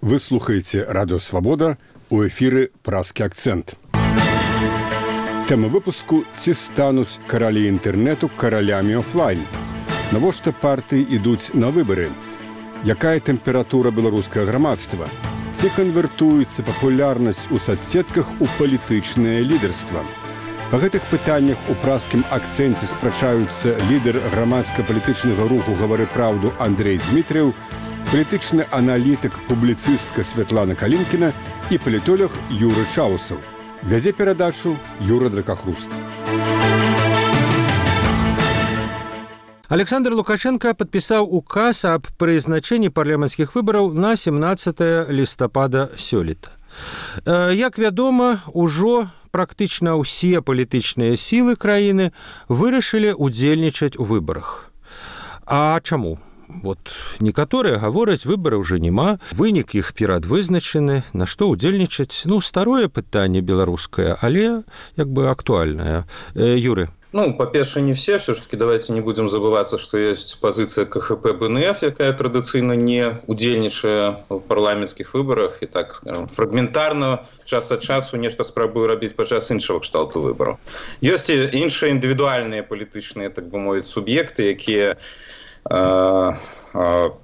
Вы слухаеце Радыё Свабода, у эфіры «Празкі акцэнт». Тэма выпуску «Ці стануць каралі інтэрнэту каралямі офлайн?». Навошта партыі ідуць на выбары? Якая тэмпература беларускага грамадства? Ці канвертуецца папулярнасць у соцсетках у палітычнае лідарства? Па гэтых пытаннях у празкім акцэнце спрачаюцца лідар грамадска-палітычнага руху «Гавары праўду» Андрэй Дзмітрыеў, палітычны аналітык, публіцыстка Святлана Калінкіна і палітолог Юры Чаусаў. Вядзе перадачу Юра Дракахруст. Александр Лукашенко падпісаў указ аб прызначэнні парламенцкіх выбараў на 17 лістапада сёлета. Як вядома, ужо практычна ўсе палітычныя сілы краіны вырашылі удзельнічаць у выбарах. А чаму? Вот некаторыя гавораць, выбары ўжо няма, вынік іх перадвызначаны, на што ўдзельнічаць. Старое пытанне беларускае, але як бы актуальнае. Юры. По-перше, не все. Все-таки давайте не будем забываться, что есть позиция КХП БНФ, якая традыцыйна не удзельнічае в парламенцкіх выбарах і так, скажем, фрагментарна час ад часу нешта спрабуе рабіць падчас іншага кшталту выбараў. Ёсць і іншыя індывідуальныя палітычныя, так бы мовіць, суб'екты, якія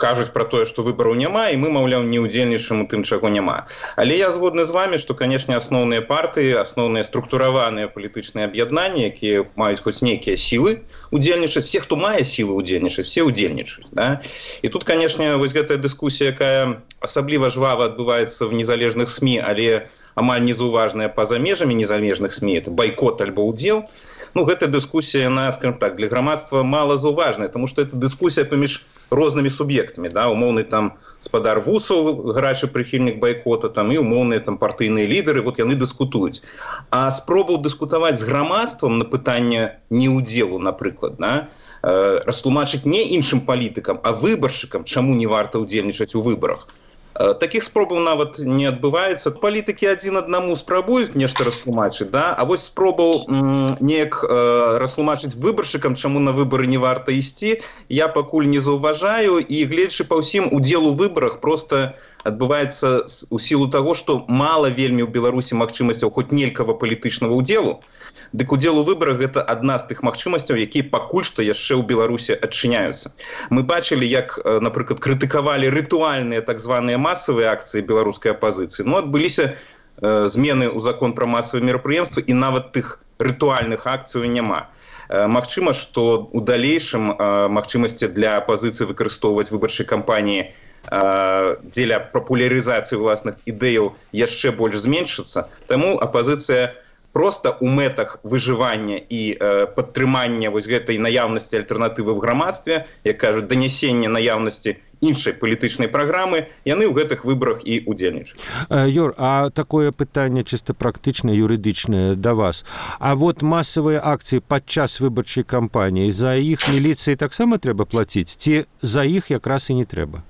кажуць пра тое, што выбараў няма, і мы, маўляў, не ўдзельнічаем у тым, чаго няма. Але я згодны з вами, што, канешне, асноўныя партыі, асноўныя структураваныя палітычныя аб'яднанні, якія маюць хоць нейкія сілы удзельнічаць, все, хто мае сілы удзельнічаць, все удзельнічаюць. Да? І тут, канешне, вось гэтая дыскусія, якая асабліва жвава адбываецца в незалежных СМІ, але амаль незаўважная па-за межамі незалежных СМІ, это байкот альбо ўдзел. Гэта дыскусія, она, скажем так, для грамадства мала заўважная, тому што это дыскусія паміж рознымі суб'ектамі, да, умоўны там спадар Вусаў, гарачы прыхільнік байкота, там і умоўныя там партыйныя лідары, вот яны дыскутуюць. А спробаў дыскутаваць з грамадствам на пытанне неўдзелу, напрыклад, да, растлумачыць не іншым палітыкам, а выбаршчыкам, чаму не варта ўдзельнічаць у выбарах. Такіх спробаў нават не адбываецца. Палітыкі адзін аднаму спрабуюць нешта растлумачыць, да? А вось спробаў неяк растлумачыць выбаршчыкам, чаму на выбары не варта ісці, я пакуль не заўважаю, і гледзячы па ўсім, удзел у выбарах проста адбываецца у сілу таго, што мала вельмі ў Беларусі магчымасцяў хоць нелькава палітычнага ўдзелу. Дык удзел у выбарах гэта адна з тых магчымасцяў, якія пакуль што яшчэ ў Беларусі адчыняюцца. Мы бачылі, як, напрыклад, крытыкавалі рытуальныя так званыя масавыя акцыі беларускай апазіцыі. Адбыліся змены ў закон пра масавыя мерапрыемствы, і нават тых рытуальных акцый няма. Магчыма, што ў далейшым магчымасці для апазіцыі выкарыстоўваць выбарчай кампаніі дзеля папулярызацыі ўласных ідэяў яшчэ больш зменшыцца. Таму апазіцыя просто ў мэтах выжывання і падтрымання вось гэтай наяўнасці альтэрнатывы в грамадстве, як кажуць, данясення наяўнасці іншай палітычнай праграмы, яны ў гэтых выбарах і удзельнічаюць. Юр, а такое пытанне чыста практычнае, юрыдычнае да вас. А вот масавыя акцыі падчас выбарчай кампаніі, за іх міліцыі таксама трэба плаціць, ці за іх якраз і не трэба?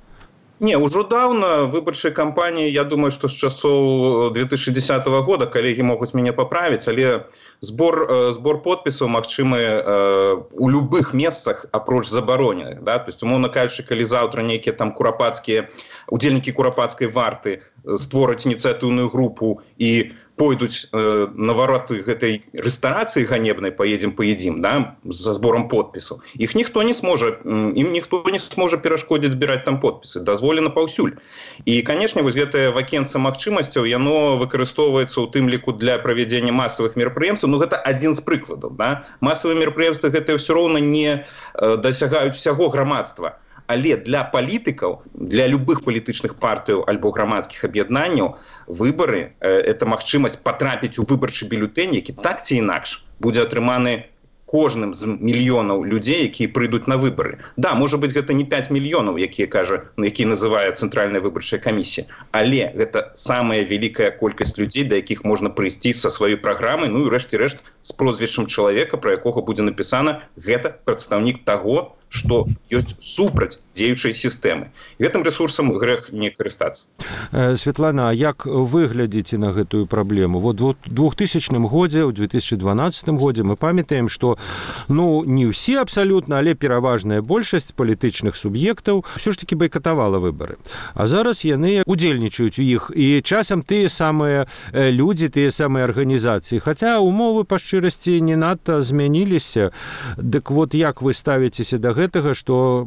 Не, ўжо даўна выбарчай кампаніі, я думаю, што з часоў 2010 года, калегі могуць мяне паправіць, але збор подпісаў магчымы у любых месцах апроч забароненых. Да? То есть, умоўна кажучы, калі заўтра нейкія там удзельнікі курапацкай варты створаць ініцыятыўную групу і пойдуць на вароты гэтай рэстарацыі ганебнай «Поедзем, да, за збором подпісаў. Ім ніхто не сможа перашкодзіць збіраць там подпісы. Дазволена паўсюль. І, канешне, вось гэтае вакенца магчымасцяў, яно выкарыстоўваецца ў тым ліку для правядзення масавых мерапрыемстваў. Гэта адзін з прыкладаў. Да? Масавыя мерапрыемствы гэтыя ўсё роўна не дасягаюць усяго грамадства. Але для палітыкаў, для любых палітычных партыяў альбо грамадскіх аб'яднанняў выбары – это магчымасць патрапіць у выбарчы бюлетэнь, які так ці інакш будзе атрыманы кожным з мільёнаў людзей, якія прыйдуць на выбары. Да, можа быць, гэта не 5 мільёнаў, якія называе Цэнтральная выбарчая камісія, але гэта самая вялікая колькасць людзей, да якіх можна прыйсці са сваёй праграмай, і рэшце-рэшт з прозвішчам чалавека, пра якога будзе напісана, гэта прадстаўнік таго, што ёсць супраць дзеючай сістэмы. Гэтым рэсурсам грэх не карыстацца. Светлана, а як вы глядзіце на гэтую праблему? Вот у 2000 годзе, у 2012 годзе мы памятаем, што не ўсе абсалютна, але пераважная большасць палітычных суб'ектаў ўсё ж такі байкатавала выбары. А зараз яны удзельнічаюць у іх, і часам тыя самыя людзі, тыя самыя арганізацыі. Хаця умовы па шчырасці не надта змяніліся. Дык вот як вы ставіцеся да гэтага, што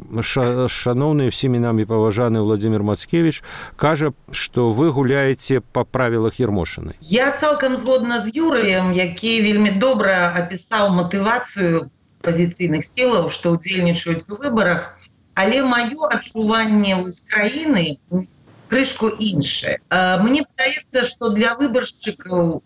шаноўны всімі намі паважаны Владзімір Мацкевіч кажа, што вы гуляеце па правілах Ермошыны? Я цалкам згодна з Юрыем, які вельмі добра апісаў матывацыю пазіцыйных сілаў, што ўдзельнічаюць у выбарах, але маё адчуванне з краіны крышку іншае. Мне падаецца, што для выбаршчыкаў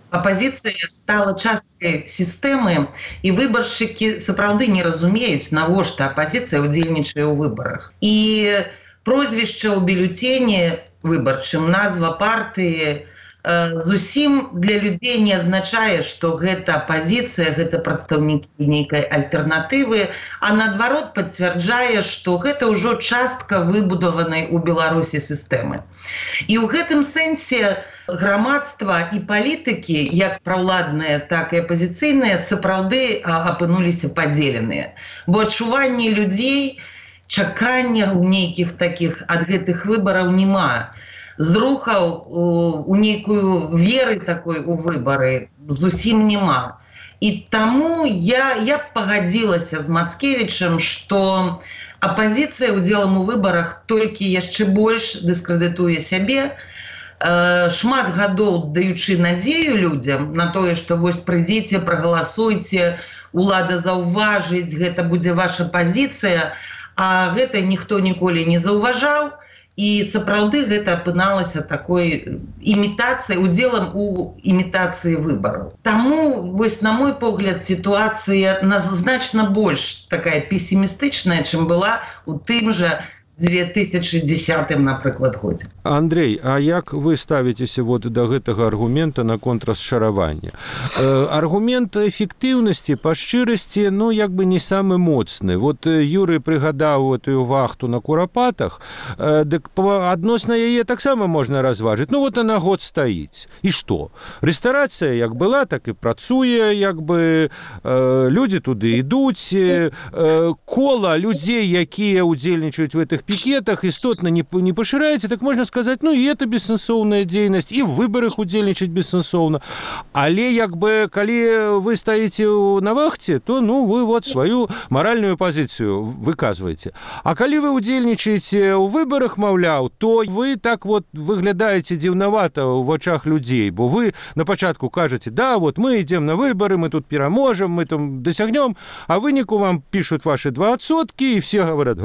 апазіцыя стала часткай сістэмы, і выбаршчыкі сапраўды не разумеюць, навошта апазіцыя ўдзельнічае ў выбарах. І прозвішча ў бюлетэні выбарчым, назва партыі зусім для людзей не азначае, што гэта апазіцыя, гэта прадстаўнікі нейкай альтэрнатывы, а наадварот пацвярджае, што гэта ўжо частка выбудаванай у Беларусі сістэмы. І ў гэтым сэнсе грамадства і палітыкі, як праўладныя, так і апазіцыйныя, сапраўды апынуліся падзеленыя. Бо адчуванне людзей, чакання ў нейкіх такіх ад гэтых выбараў няма. Зрухаў у нейкую веры такой у выбары зусім няма. І таму я пагадзілася з Мацкевічам, што апазіцыя ўдзелам у выбарах толькі яшчэ больш дыскрэдытуе сябе, шмат гадоў даючы надзею людзям на тое, што вось прыйдзіце, прагаласуйце, улада заўважыць, гэта будзе ваша пазіцыя, а гэта ніхто ніколі не заўважаў, і сапраўды гэта апыналася такой імітацыяй, удзелам у імітацыі выбараў. Таму, вось на мой погляд, сітуацыя значна больш такая песімістычная, чым была у тым жа 2010, напрыклад, годзе. Андрей, а як вы ставіцеся да гэтага аргумента наконт расчаравання? Аргумент эфектыўнасці па шчырасці, як бы не самы моцны. Юрый прыгадаў этую вахту на Курапатах, дык адносна яе таксама можна разважыць. Она год стаіць. І што? Рэстарацыя як была, так і працуе, як бы людзі туды ідуць, кола людзей, якія ўдзельнічаюць у гэтых пікетах, істотна не пашыраецца, так можна сказаць, і это бессэнсоўная дзейнасць, і в выбарах удзельнічаць бессэнсоўна. Але як бы, калі вы стаіце на вахце, то вы сваю маральную пазіцыю выказваеце. А калі вы удзельнічаеце ў выбарах, маўляў, то вы так выглядаеце дзіўнавата ў вачах людзей, бо вы на пачатку кажаце, мы ідзем на выбары, мы тут пераможам, мы там дасягнём, а выніку вам пішуць ваши 2%, і все говорят,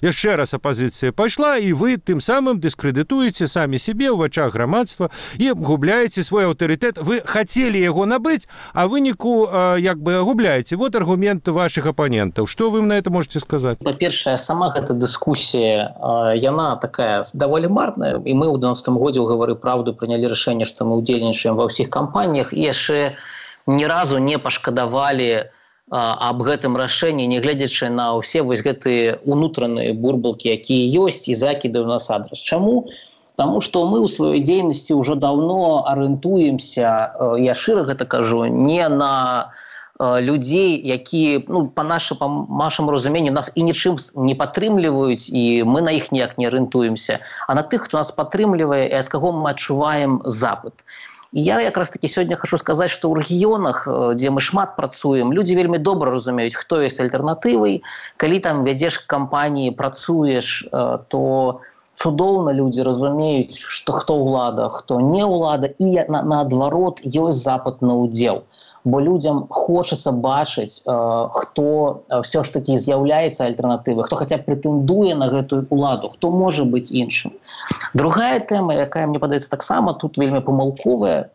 яшчэ раз апазіцыя пайшла, і вы тым самым дыскрэдытуеце самі сябе ў вачах грамадства і губляеце свой аўтарытэт. Вы хацелі яго набыць, а выніку як бы губляеце. Вот аргумент ваших апанентаў. Што вы на это можете сказаць? Па-першае, сама гэта дыскусія, яна такая даволі марная, і мы ў 2012 годзе ў «Гавары праўду» прынялі рашэнне, што мы ўдзельнічаем ва ўсіх кампаніях, і яшчэ ні разу не пашкадавалі аб гэтым рашэнні, не гледзячы на ўсе вось гэтыя унутраныя бурбалкі, якія ёсць, і закіды ў нас адрас. Чаму? Таму што мы ў сваёй дзейнасці ўжо даўно арыентуемся, я шчыра гэта кажу, не на людзей, якія, па нашаму разуменню, нас і нічым не падтрымліваюць, і мы на іх ніяк не арыентуемся, а на тых, хто нас падтрымлівае і ад каго мы адчуваем запыт. І я якраз такі сёння хочу сказаць, што ў рэгіёнах, дзе мы шмат працуем, людзі вельмі добра разумеюць, хто ёсць альтэрнатывай. Калі там вядзеш кампаніі, працуеш, то цудоўна людзі разумеюць, што хто ўлада, хто не ўлада, і наадварот ёсць запыт на ўдзел. Бо людзям хочацца бачыць, хто ўсё ж такі з'яўляецца альтэрнатывай, хто хаця б прэтэндуе на гэтую ўладу, хто можа быць іншым. Другая тэма, якая, мне падаецца, таксама тут вельмі памылковая,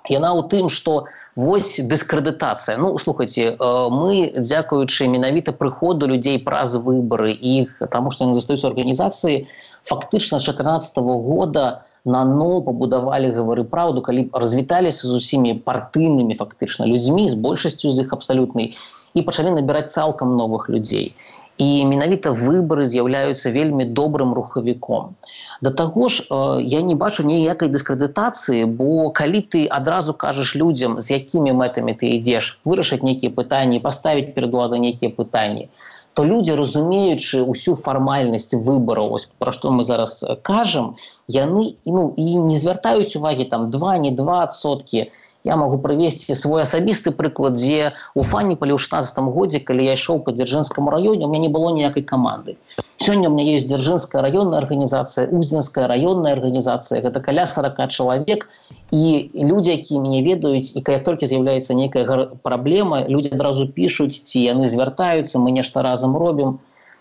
яна ў тым, што вось дыскрэдытацыя. Слухайце, мы, дзякуючы менавіта прыходу людзей праз выбары, іх, таму што яны застаюцца ў арганізацыі, фактычна з 2014 года нано пабудавалі «Гавары праўду», калі развіталіся з усімі партыйнымі фактычна людзьмі, з большасцю з іх абсалютнай, і пачалі набіраць цалкам новых людзей. І менавіта выбары з'яўляюцца вельмі добрым рухавіком. Да таго ж, я не бачу ніякай дыскрэдытацыі, бо калі ты адразу кажаш людзям, з якімі мэтамі ты ідзеш, вырашыць нейкія пытанні, паставіць перад уладай нейкія пытанні, то людзі, разумеючы ўсю фармальнасць выбараў, пра што мы зараз кажам, яны і не звяртаюць увагі 2, не 2%. Я могу прывесці свой асабісты прыклад, дзе у Фаніпале ў 16 годзе, калі я ішоў па Дзяржынскаму раёне, у меня не было ніякай каманды. Сёння у меня есть Дзяржынская раённая арганізацыя, Уздзенская раённая арганізацыя, гэта каля 40 чалавек, і людзі, якія мяне ведаюць, і калі толькі з'яўляецца нейкая праблема, людзі адразу пішуць, ці яны звяртаюцца, мы нешта разам робім.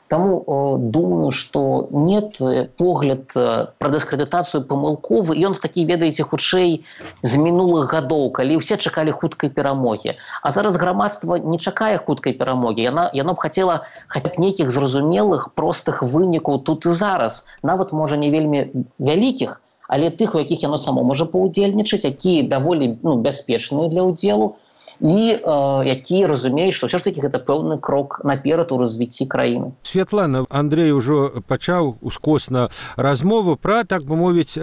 Таму думаю, што нет, погляд пра дыскрэдытацыю памылковы, і ён такі, ведаеце, хутчэй з мінулых гадоў, калі ўсе чакалі хуткай перамогі. А зараз грамадства не чакае хуткай перамогі. Яно б хацела хаця б нейкіх зразумелых, простых вынікаў тут і зараз. Нават, можа, не вельмі вялікіх, але тых, у якіх яно само можа паўдзельнічаць, якія даволі бяспечныя для ўдзелу, і які разумеюць, што ўсё ж такі гэта пэўны крок наперад у развіцці краіны. Святлана, Андрей ужо пачаў ускосна размову пра, так бы мовіць,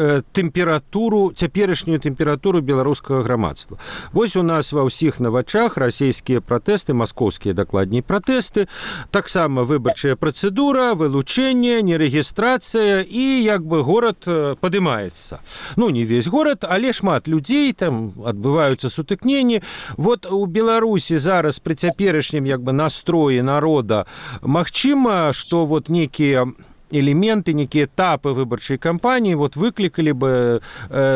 цяперашнюю тэмпературу беларускага грамадства. Вось у нас ва ўсіх на вачах расійскія пратэсты, маскоўскія дакладней пратэсты, таксама выбарчая працэдура, вылучэнне, нерэгістрацыя, і як бы горад падымаецца. Не весь горад, але шмат людзей, там адбываюцца сутыкненні. Вот у Беларусі зараз пры цяперашнім настроі народа магчыма, што некія элементы, некие этапы выборчей кампании выкликали бы,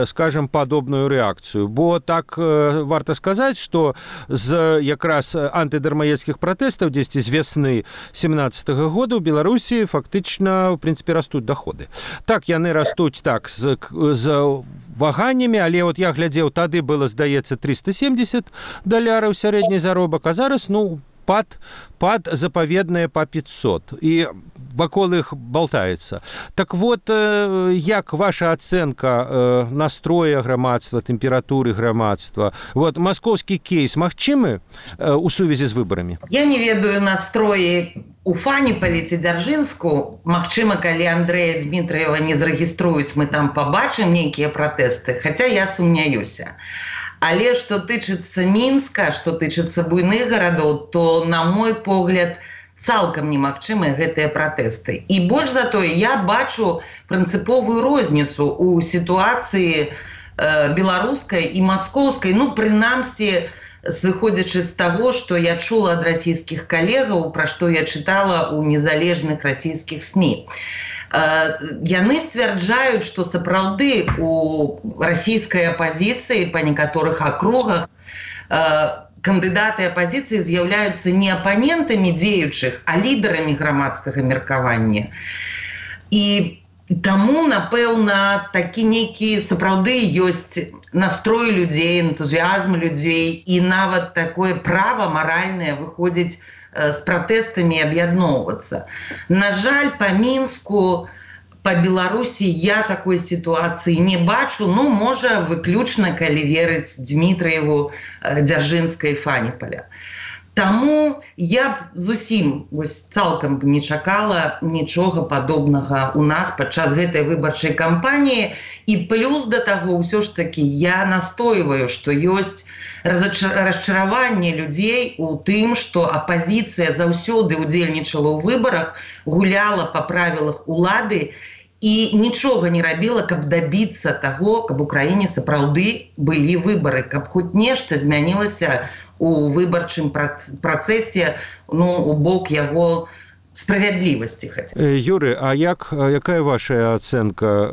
скажем, подобную реакцию. Бо так варто сказать, что з якраз антидармаедских протестов 10 з весны 17 года у Беларуси фактично, в принципе, растут доходы. Так, яны растут так з ваганнями, але я глядзеў, тады было, здаецца, $370 сярэдні заробак, а зараз, пад запаведнае па 500. І вакол іх болтаецца. Так як ваша ацэнка настроя грамадства, тэмпературы грамадства? Маскоўскі кейс магчымы у сувязі з выбарамі? Я не ведаю настроі у Фаніпалі ці Дзяржынску. Магчыма, калі Андрэя Дмітраева не зарэгіструюць, мы там пабачым нейкія пратэсты, хаця я сумняюся. Але што тычыцца Мінска, што тычыцца буйных гарадоў, то, на мой погляд, цалкам немагчымыя гэтыя пратэсты. І больш за тое, я бачу прынцыповую розніцу ў сітуацыі беларускай і маскоўскай, прынамсі, сыходзячы з таго, што я чула ад расійскіх калегаў, пра што я чытала ў незалежных расійскіх СМІ. Яны сцвярджаюць, што сапраўды у расійскай апазіцыі па некаторых акругах кандыдаты апазіцыі з'яўляюцца не апанентамі дзеючых, а лідарамі грамадскага меркавання. І таму, напэўна, такі нейкі сапраўды ёсць настрой людзей, энтузіазм людзей, і нават такое права маральнае выходзіць з пратэстамі аб'ядноўвацца. На жаль, па Мінску, па Беларусі я такой сітуацыі не бачу, можа, выключна, калі верыць Дмітраеву, Дзяржынскай, Фаніпаля. Таму я зусім цалкам не чакала нічога падобнага у нас падчас гэтай выбарчай кампаніі. І плюс да таго, ўсё ж такі, я настойваю, што ёсць расчараванне людзей у тым, што апазіцыя заўсёды ўдзельнічала ў выбарах, гуляла па правілах улады і нічога не рабіла, каб дабіцца таго, каб у краіне сапраўды былі выбары, каб хоць нешта змянілася у выбарчым працэсе, у бок яго справядлівасці. Юрый, а якая ваша ацэнка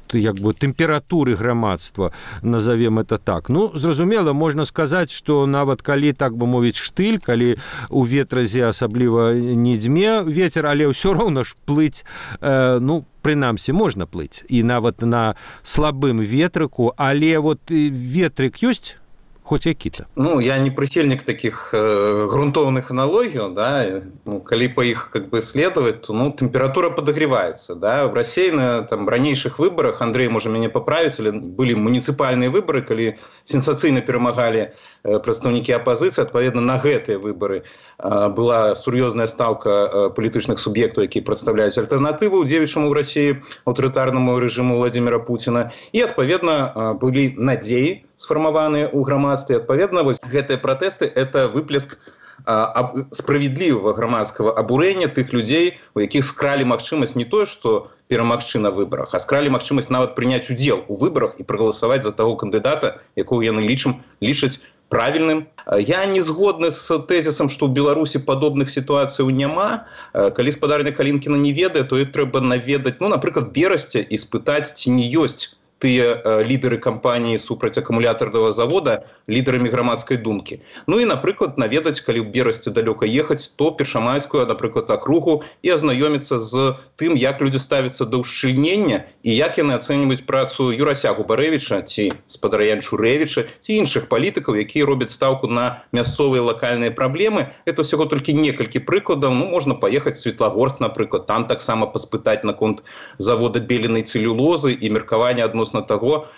тэмпературы грамадства, назовем это так? Зразумела, можна сказаць, што нават калі, так бы мовіць, штыль, калі у ветразе асабліва не дзьме ветер, але ўсё роўна ж плыць, прынамсі, можна плыць. І нават на слабым ветрыку, але ветрык ёсць хоть які-то. Ну, я не прихильник таких грунтовных аналогий, да, ну, коли по их как бы следовать, то, ну, температура подогревается, да, в России на там ранейших выборах, Андрей, может меня поправить, были муниципальные выборы, коли сенсацыйна перамагалі прадстаўнікі апозіцыі, адпаведна на гэтыя выборы была сур'ёзная стаўка палітычных суб'ектаў, якія прадстаўляюць альтэрнатыву дзеючаму в России аўтарытарнаму рэжыму Владимира Путина, і адпаведна былі надзеі сфармаваныя ў грамадстве. Адпаведна, вось гэтыя пратэсты – это выплеск справедлівага грамадскага абурэння тых людзей, у якіх скралі магчымасць не тое, што перамагчы на выбарах, а скралі магчымасць нават прыняць удзел у выбарах і прагаласаваць за таго кандыдата, якого яны лічаць правільным. Я не згодны з тэзісам, што ў Беларусі падобных сітуацыяў няма. Калі спадарня Калінкіна не ведае, то і трэба наведаць, ну, напрыклад, Берасце і спытаць, ці не ёсць тыя лідары кампаніі супраць акумулятарнага завода лідарамі грамадскай думкі. Ну і, напрыклад, наведаць, калі ў Берасці далёка ехаць, то Першамайскую, напрыклад, акругу і азнаёміцца з тым, як людзі ставяцца да ўшчыльнення і як яны ацэньваюць працу Юрася Губарэвіча ці спадара Янчурэвіча ці іншых палітыкаў, якія робяць стаўку на мясцовыя лакальныя праблемы. Это ўсяго толькі некалькі прыкладаў. Ну, можна паехаць в Светлагорск, напрыклад, там таксама паспытаць наконт завода беленай цэлюлозы і меркавання адносна таго,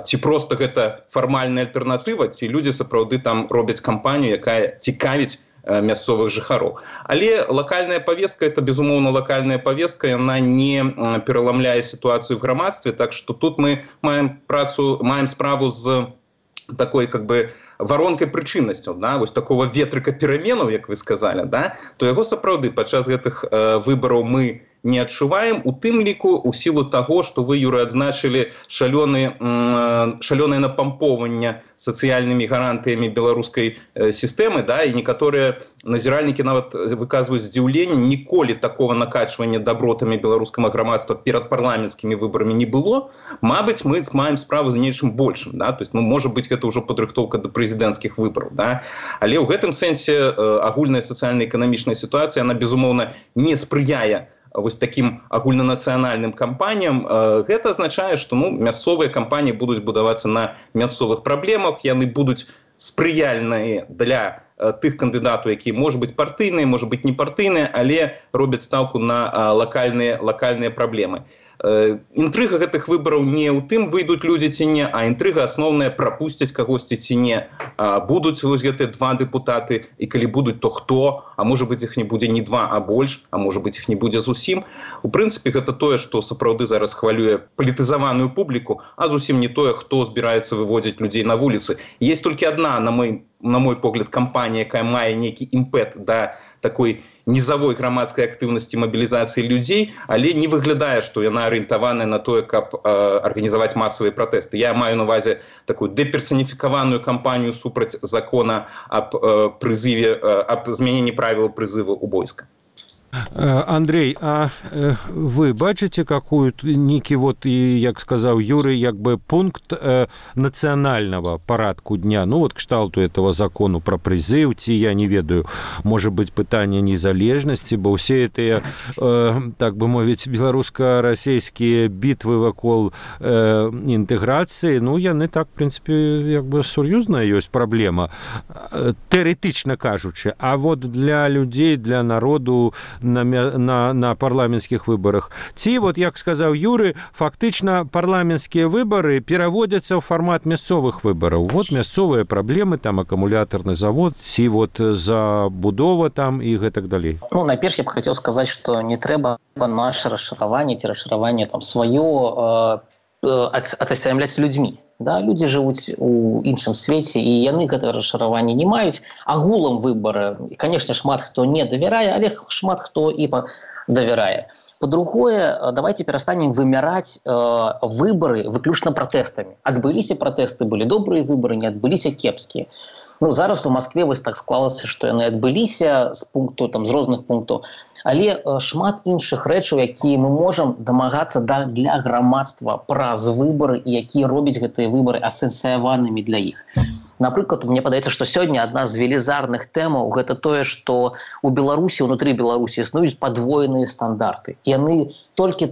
ці проста гэта фармальная альтэрнатыва, ці людзі сапраўды там робяць кампанію, якая цікавіць мясцовых жыхароў. Але лакальная повестка – это, безумоўна, лакальная повестка, яна не пераламляе сітуацыю в грамадстве, так што тут мы маем справу з такой как бы воронкой прычыннасцю, да, вось такого ветрыка пераменаў, як вы сказали, да, то яго сапраўды падчас гэтых выбараў мы не адчуваем, у тым ліку у сілу таго, што вы, Юра, адзначылі шалёнае напампоўванне сацыяльнымі гарантыямі беларускай сістэмы, да, і некаторыя назіральнікі нават выказваюць здзіўленне, ніколі такого накачвання дабротамі беларускага грамадства перад парламенцкімі выбарамі не было. Мабыць, мы маем справу з нечым большым, да, то есть, ну, можа быць, гэта ўжо падрыхтоўка да прэзідэнцкіх выбараў, да, але ў гэтым сэнсе агульная сацыяльна-эканамічная сітуацыя, она, безумоўна, не спрыяе вось таким агульнанацыянальным кампаніям. Гэта азначае, што, ну, мясцовыя кампаніі будуць будавацца на мясцовых праблемах, яны будуць спрыяльныя для тых кандыдатаў, якія, можа быць, партыйныя, можа быць, не партыйныя, але робяць стаўку на лакальныя праблемы. Інтрыга гэтых выбараў не ў тым, выйдуць людзі ці не, а інтрыга асноўная, прапусцяць кагосьці ці не. Будуць вось гэтыя два дэпутаты, і калі будуць, то хто? А можа быць, іх не будзе не два, а больш, а можа быць, іх не будзе зусім. У прынцыпе, гэта тое, што сапраўды зараз хвалюе палітызаваную публіку, а зусім не тое, хто збіраецца выводзіць людзей на вуліцы. Есть толькі адна, на мой погляд, кампанія, якая мае нейкі імпэт да такой низовой грамадскай актыўнасці мабілізацыі людзей, але не выглядае, што яна арыентаваная на тое, каб арганізаваць масавыя пратэсты. Я маю на увазе такую дэперсаніфікаваную кампанію супраць закона аб змяненні правил прызыву ў войска. Андрей, а вы бачыце какую-то нейкі вот, і, як сказаў Юрый, як бы пункт нацыянального парадку дня, ну вот кшталту этого закону про прызыў, ці я не ведаю, может быть, пытанне незалежнасці, бо ўсе гэтыя, так бы мовіць, беларуска-расійскія бітвы вакол інтэграцыі, ну яны так, в прынцыпе, як бы сур'ёзная ёсць праблема, тэарэтычна кажучы, а вот для людзей, для народу на парламенцкіх выбарах. Ці, вот, як сказаў Юры, фактычна парламенцкія выбары пераводзяцца ў фармат мясцовых выбараў. Вот мясцовыя праблемы, там акумулятарны завод, ці вот забудова там і гэтак далей. Ну, найперш я б хацеў сказаць, што не трэба наше расшыраванне ці расшыраванне там сваё атасямляць людзьмі. Да, людзі жывуць у іншым свеце, і яны гэта расшыраванне не маюць. Агулам выбары, конечно, шмат хто не давярае, але шмат хто і давярае. По-другое, давайте перастанем вымяраць выбары выключна пратэстамі. Адбыліся пратэсты, былі добрыя выбары, не адбыліся кепскія. Ну, зараз у Москве вось так склалася, што яны адбыліся з пункту, там, з розных пунктаў. Але шмат іншых рэчаў, якія мы можам дамагацца для грамадства праз выбары, і якія робяць гэтыя выбары асэнсіяванымі для іх. Напрыклад, мне падаецца, што сёння адна з велізарных тэмаў гэта тое, што у Беларусі, унутры Беларусі існуюць падвоеныя стандарты. Яны толькі,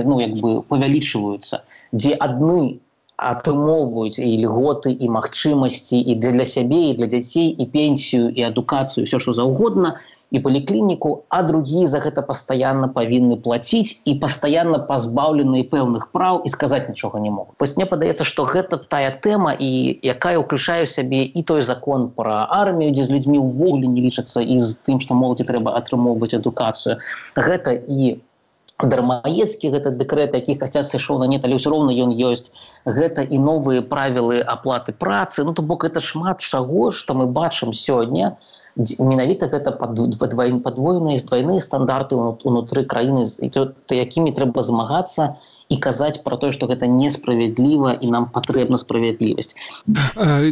ну, як бы павялічваюцца, дзе адны атрымоўваюць і льготы, і магчымасці і для сябе, і для дзяцей, і пенсію, і адукацыю, все што заўгодна, і паліклініку, а другие за гэта пастаянна павінны плаціць і пастаянна пазбаўленыя пэўных праў і сказаць нічога не могуць. Вось мне падаецца, што гэта тая тэма, і якая ўключае ў сябе і той закон пра армію, дзе з людзьмі ўвогуле не лічацца, і з тым, што моладзі трэба атрымоўваць адукацыю. Гэта і дармаедскі гэты дэкрэт, які хаця сышоў на нет, але ўсё роўна ён ёсць. Гэта і новыя правілы аплаты працы. То бок гэта шмат чаго, што мы бачым сёння. Менавіта гэта падвойныя, двойныя стандарты ўнутры краіны, якімі трэба змагацца і казаць пра тое, што гэта несправядліва і нам патрэбна справядлівасць.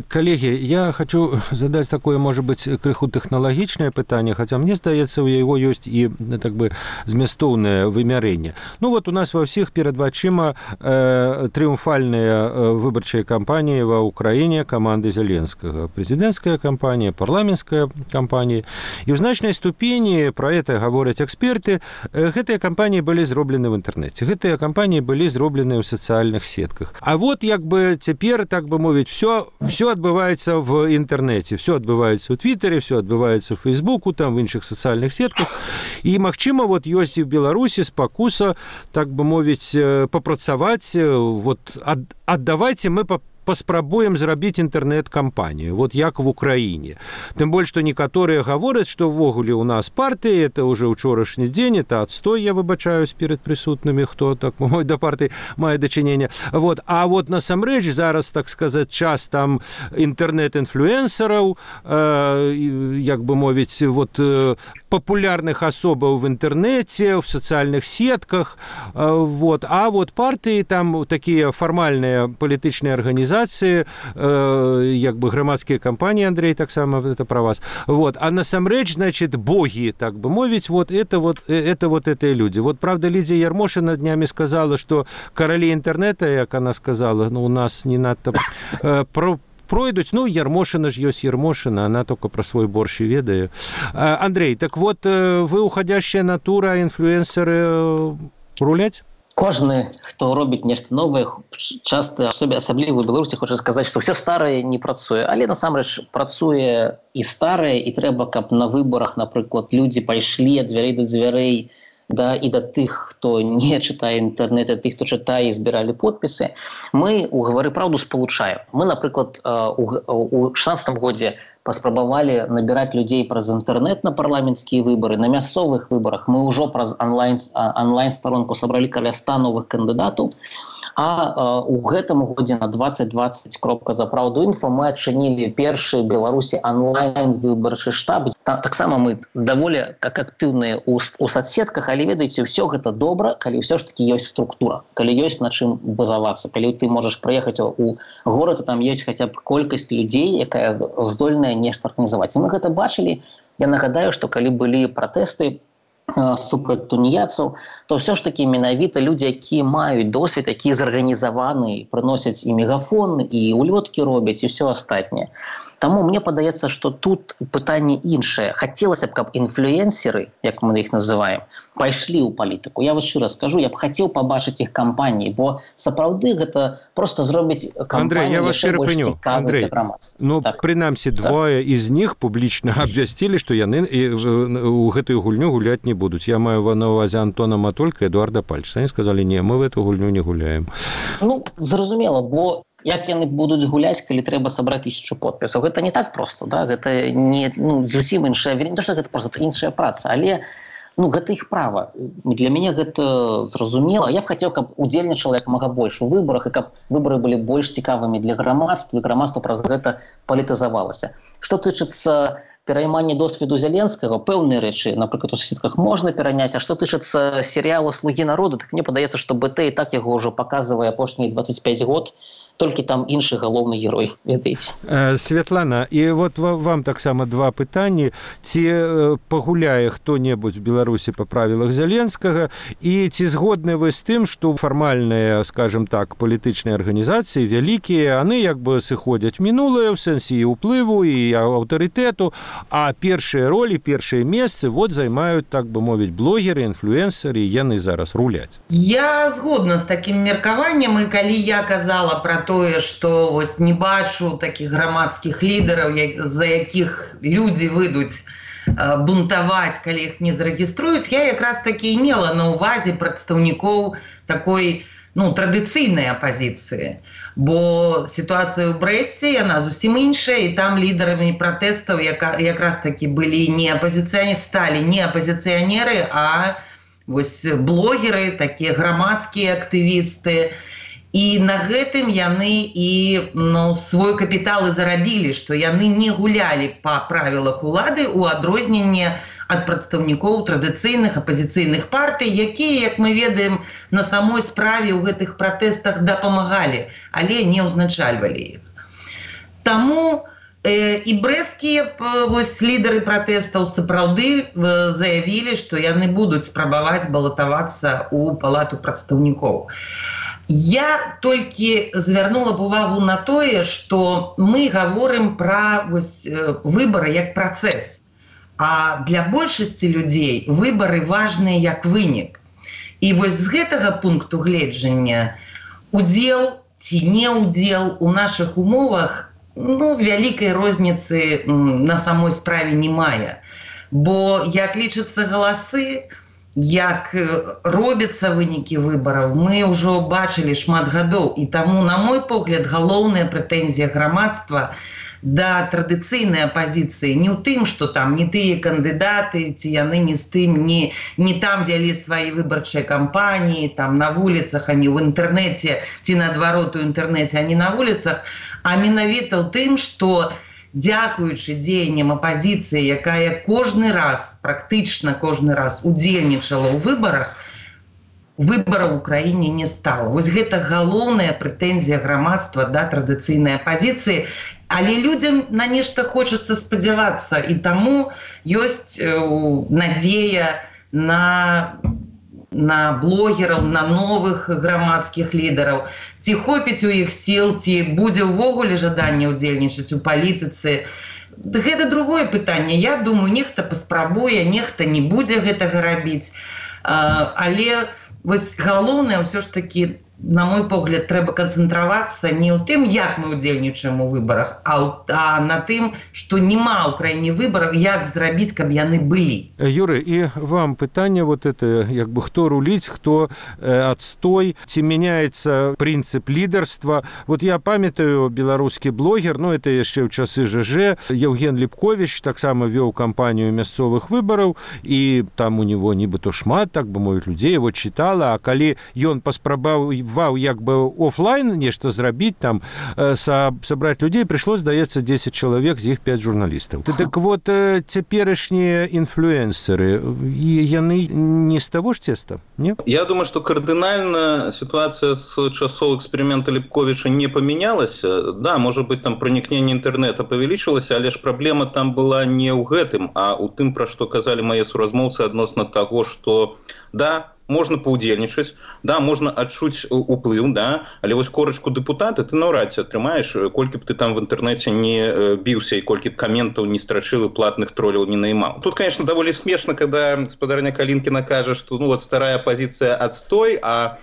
Калегі, я хочу задаць такое, можа быць, крыху тэхналагічнае пытанне, хаця мне здаецца, у яго ёсць і так бы змястоўнае вымярэнне. Вот у нас ва ўсіх перад вачыма трыумфальныя выбарчыя кампаніі ва ўкраіне каманды Зеленскага. Прэзідэнцкая кампанія, парламенцкая кампанії. І ў значнай ступені, пра гэта гавораць эксперты, гэтыя кампаніі былі зроблены ў інтэрнэце. Гэтыя кампаніі былі зроблены ў сацыяльных сетках. А вот як бы цяпер, так бы мовіць, все адбываецца в інтэрнэце. Все адбываецца ў Твіттере, все адбываецца ў Фейсбуку, там, в іншых сацыяльных сетках. І, магчыма, вот ёсць і ў Беларусі спакуса, так бы мовіць, папрацаваць, вот, аддавайце мы паспрабуем зрабіць інтэрнэт-кампанію, вот як в Украіне. Тым больш, што некаторыя гавораць, што ўвогуле ў нас партыі, это уже ўчорашні дзень, это адстой, я выбачаюсь перед прысутнымі, хто так да партыі мае дачыненне. Вот. А вот насамрэч зараз, так сказаць, час там інтэрнэт-інфлюэнсараў, як бы мовіць, вот папулярных асобаў в інтэрнэце, в сацыяльных сетках, вот. А вот партыі там такія фармальныя палітычныя арганізацыі, як бы грамадскія кампаніі, Андрей, таксама это про вас. Вот. А насамрэч, значит, боги, так бы мовить, это люди. Вот, правда, Лидия Ярмошина днями сказала, что короли интернета, як она сказала, у нас не надо пройдуць, Ярмошина ж ёсць Ярмошина, она только про свой борщ и ведае. Андрей, так вот, вы уходящая натура, инфлюэнсеры руляць? Кожны, хто робіць нешта новае, часта асабліва ў Беларусі хоча сказаць, што ўсё старае не працуе, але насамрэч працуе і старае, і трэба, каб на выбарах, напрыклад, людзі пайшлі ад дзвярэй да дзвярэй, да, і да тых, хто не чытае інтэрнэт, а тых, хто чытае і збіралі подпісы. Мы у «Гавары праўду» спалучаем. Мы, напрыклад, у 16 годзе паспрабавалі набіраць людзей праз інтэрнэт на парламенцкія выбары. На мясцовых выбарах мы ўжо праз онлайн-старонку сабралі каля 100 новых кандыдатаў. А у гэтым годзе на 2020.zapravdu.info мы адчынілі першы Беларусі онлайн-выбарчы штаб. Таксама мы даволі актыўныя ў соцсетках, але ведаеце, ўсё гэта добра, калі ўсё ж такі ёсць структура, калі ёсць на чым базавацца, калі ты можаш прыехаць у горад, і там ёсць хаця б колькасць людзей, якая здольная нешта арганізаваць. І мы гэта бачылі. Я нагадаю, што калі былі пратэсты супраць туніяцаў, то ўсё ж такі менавіта людзі, якія маюць досвед, якія зарганізаваны, прыносяць і мегафон, і улёткі робяць, і ўсё астатняе. Таму мне падаецца, што тут пытанне іншае. Хацелася б, каб інфлюэнсеры, як мы іх называем, пайшлі ў палітыку. Я вас шчыра скажу, я б хацеў пабачыць іх кампаніі, бо сапраўды гэта просто зробіць кампанію яшчэ больш цікавай для грамадства. Прынамсі, двое из них публічна абвясцілі, што яны ў гэтую гульню гуляць не будуць. Я маю на увазе Антона Матолька і Эдуарда Пальчыца. Они сказали, не, мы в эту гульню не гуляем. Зразумела, бо як яны будуць гуляць, калі трэба сабраць 1000 подпісаў? Гэта не так проста, да? Гэта не зусім іншая, не то, што гэта проста іншая праца, але гэта іх права. Для мяне гэта зразумела. Я б хацеў, каб удзельнічала як мага больш у выбарах, і каб выбары былі больш цікавымі для грамадства, і грамадства праз гэта палітызавалася. Што тычыцца пераймання досведу Зеленскага, пэўныя рэчы, напрыклад, у соцсетках можна пераняць, а што тычыцца серыяла «Слугі народу», так мне падаецца, што БТ і так яго ўжо паказвае апошнія 25 год, толькі там іншы галоўны герой, ведаеце. Святлана, і вот вам таксама два пытанні. Ці пагуляе хто-небудзь в Беларусі па правілах Зеленскага, і ці згодны вы з тым, што фармальныя, скажем так, палітычныя арганізацыі вялікія, яны як бы сыходзяць мінулае ў сэнсе і ўплыву, і аўтарытэту, а першыя ролі, першыя месцы вот займаюць, так бы мовіць, блогеры, інфлюэнсеры, і яны зараз руляць. Я згодна з такім меркаваннем, і калі я казала пра тое, што вось не бачу такіх грамадскіх лідараў, за якіх людзі выйдуць бунтаваць, калі іх не зарэгіструюць, я якраз такі мела на ўвазе прадстаўнікоў такой традыцыйнай апазіцыі. Бо сітуацыя ў Брэсце, яна зусім іншая, і там лідарамі пратэстаў якраз такі былі сталі не апазіцыянеры, а вось блогеры, такія грамадскія актывісты. І на гэтым яны і свой капітал і зарабілі, што яны не гулялі па правілах улады ў адрозненне ад прадстаўнікоў традыцыйных апазіцыйных партый, якія, як мы ведаем, на самой справе ў гэтых пратэстах дапамагалі, але не ўзначальвалі іх. Таму і брэсцкія лідары пратэстаў сапраўды заявілі, што яны будуць спрабаваць балатавацца ў палату прадстаўнікоў. Я толькі звярнула б увагу на тое, што мы гаворым пра выбары як працэс, а для большасці людзей выбары важныя як вынік. І вось з гэтага пункту гледжання удзел ці не удзел у нашых умовах вялікай розніцы на самой справе не мае. Бо як лічацца галасы, як робяцца вынікі выбараў, мы ўжо бачылі шмат гадоў. І таму, на мой погляд, галоўная прэтэнзія грамадства да традыцыйнай апазіцыі не ў тым, што там не тыя кандыдаты, ці яны не з тым, не там вялі свае выбарчыя кампаніі, там на вуліцах, а не ў інтэрнэце, ці наадварот у інтэрнэце, а не на вуліцах, а менавіта ў тым, што дзякуючы дзеянням апазіцыі, якая практычна кожны раз удзельнічала ў выбарах, выбараў у краіне не стала. Вось гэта галоўная прэтэнзія грамадства да традыцыйнай апазіцыі, але людзям на нешта хочацца спадзявацца, і таму ёсць надзея на блогераў, на новых грамадскіх лідараў. Ці хопіць у іх сіл, ці будзе ўвогуле жаданне ўдзельнічаць у палітыцы. Гэта другое пытанне. Я думаю, нехта паспрабуе, нехта не будзе гэтага рабіць. Але галоўнае ўсё ж такі, на мой погляд, трэба канцэнтравацца не ў тым, як мы ўдзельнічаем у выбарах, а на тым, што няма ў краіне выбараў, як зрабіць, каб яны былі. Юрый, і вам пытанне хто руліць, хто адстой, ці мяняецца прынцып лідарства. Я памятаю, беларускі блогер, это яшчэ ў часы ЖЖ, Евген Ліпковіч таксама вёў кампанію мясцовых выбараў, і там у него нібыта шмат, так бы мовіць, людзей его чытала, а калі ён паспрабаваў офлайн нешта зрабіць, там сабраць людзей, прыйшло, здаецца, 10 чалавек, з іх 5 журналістаў. Так вот, цяперашнія інфлюэнсеры, яны не з таго ж цеста, не? Я думаю, што кардынальна сітуацыя з часоў эксперымента Ліпковіча не памянялася. Да, можа быць, там пранікненне інтэрнэта павялічылася, але ж праблема там была не ў гэтым, а ў тым, пра што казалі мае суразмоўцы адносна таго, што да, можна паўдзельнічаць, да, можна адчуць уплыў, да, але вось корачку дэпутата ты наўрад ці атрымаеш, колькі б ты там в інтэрнэце не біўся і колькі б каментаў не страчыў і платных троляў не наймаў. Тут, конечно, даволі смешна, когда спадарня Калінкіна кажа, што старая апозіцыя адстой, а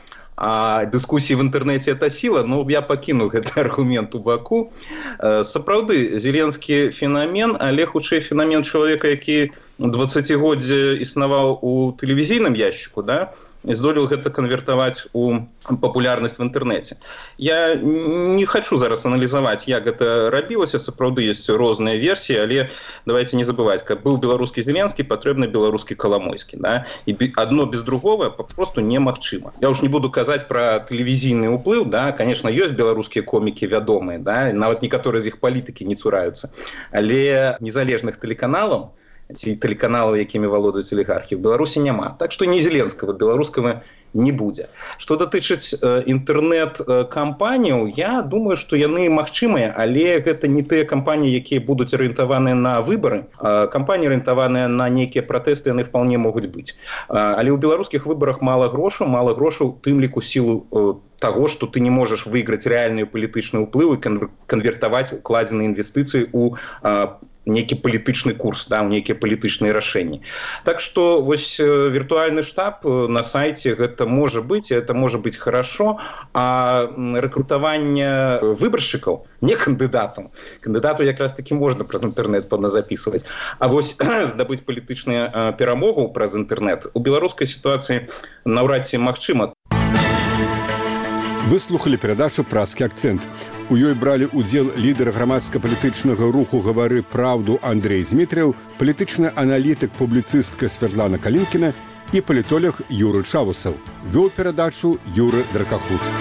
дыскусіі в інтэрнэце это сіла, я пакіну гэты аргумент у баку. Сапраўды, зеленскі фенамен, але хутчэй фенамен чалавека, які 20годдзе існаваў у тэлевізійным яшчыку, да, і здолеў гэта канвертаваць у папулярнасць в інтэрнэце. Я не хочу зараз аналізаваць, як гэта рабілася, сапраўды ёсць розныя версіі, але давайте не забываць, каб быў беларускі Зеленскі, патрэбны беларускі Каламойскі, да? І адно без другого папросту немагчыма. Я ўж не буду казаць пра тэлевізійны ўплыў, да? Конечно, ёсць беларускія комікі вядомыя, да? Нават некаторыя з іх палітыкі не цураюцца, але незалежных тэлеканалаў ці тэлеканалаў, якімі валодаюць алігархі, в Беларусі няма. Так што ні зеленскага, беларускага не будзе. Што датычыць інтэрнэт-кампаніяў, я думаю, што яны магчымыя, але гэта не тыя кампаніі, якія будуць арыентаваныя на выбары. Кампаніі арыентаваныя на нейкія пратэсты, яны вполне могуць быць. Але ў беларускіх выбарах мала грошаў, тым ліку сілу таго, што ты не можаш выйграць рэальны палітычны ўплыў і канвертаваць укладзеныя інвестыцыі ў нейкі палітычны курс, да, нейкія палітычныя рашэнні. Так што вось віртуальны штаб на сайце гэта можа быць, это можа быць хорошо, а рэкрутаванне выбаршчыкаў, не кандыдатам. Кандыдату якраз таки можна праз інтэрнэт запісваць. А вось здабыць палітычную перамогу праз інтэрнэт у беларускай сітуацыі наўрад ці магчыма. Вы слухали перадачу «Празкі акцэнт». У ёй бралі ўдзел лідар грамадска-палітычнага руху «Гавары праўду» Андрей Змітрыў, палітычны аналітык, публіцыстка Светлана Калінкіна і палітолог Юры Чавусаў. Вёў перадачу Юры Дракахуст.